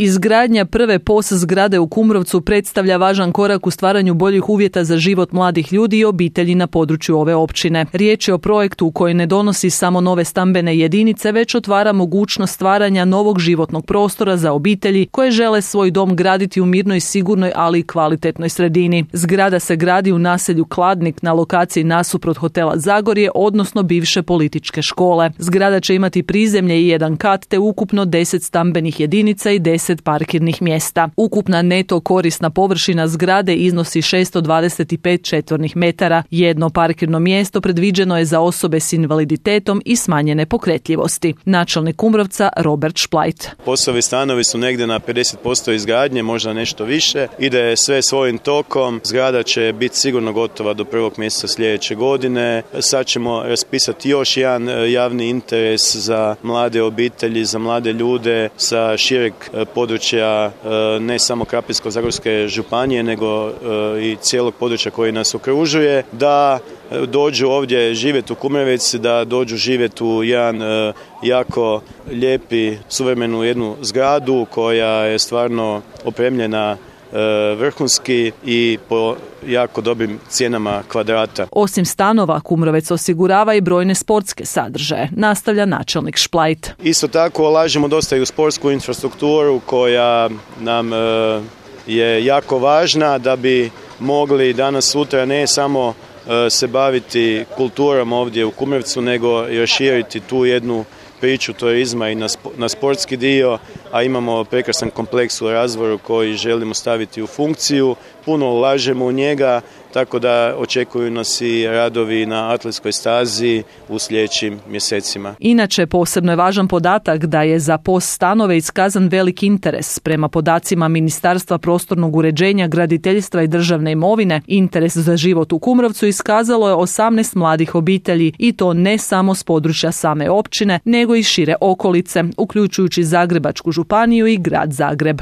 Izgradnja prve POS zgrade u Kumrovcu predstavlja važan korak u stvaranju boljih uvjeta za život mladih ljudi i obitelji na području ove općine. Riječ je o projektu koji ne donosi samo nove stambene jedinice, već otvara mogućnost stvaranja novog životnog prostora za obitelji koje žele svoj dom graditi u mirnoj, sigurnoj, ali i kvalitetnoj sredini. Zgrada se gradi u naselju Kladnik na lokaciji nasuprot hotela Zagorje, odnosno bivše političke škole. Zgrada će imati prizemlje i jedan kat te ukupno 10 stambenih jedinica i 10 parkirnih mjesta. Ukupna neto korisna površina zgrade iznosi 625 četvornih metara. Jedno parkirno mjesto predviđeno je za osobe s invaliditetom i smanjene pokretljivosti. Načelnik Kumrovca Robert Šplajt. POS-ovi stanovi su negdje na 50% izgradnje, možda nešto više. Ide sve svojim tokom. Zgrada će biti sigurno gotova do 1. mjeseca sljedeće godine. Sad ćemo raspisati još jedan javni interes za mlade obitelji, za mlade ljude sa šireg područja ne samo Krapinsko-zagorske županije, nego i cijelog područja koji nas okružuje, da dođu ovdje živjeti u Kumrovec, da dođu živjeti u jedan jako lijepi, suvremenu jednu zgradu koja je stvarno opremljena vrhunski i po jako dobrim cijenama kvadrata. Osim stanova, Kumrovec osigurava i brojne sportske sadržaje, nastavlja načelnik Šplajt. Isto tako ulažemo dosta i u sportsku infrastrukturu koja nam je jako važna da bi mogli danas sutra ne samo se baviti kulturom ovdje u Kumrovcu, nego i raširiti tu jednu priču turizma i na sportski dio, a imamo prekrasan kompleks u razvoju koji želimo staviti u funkciju. Puno ulažemo u njega, tako da očekuju nas i radovi na atletskoj stazi u sljedećim mjesecima. Inače, posebno je važan podatak da je za POS stanove iskazan velik interes. Prema podacima Ministarstva prostornog uređenja, graditeljstva i državne imovine, interes za život u Kumrovcu iskazalo je 18 mladih obitelji i to ne samo s područja same općine, nego i šire okolice, uključujući Zagrebačku županiju i grad Zagreb.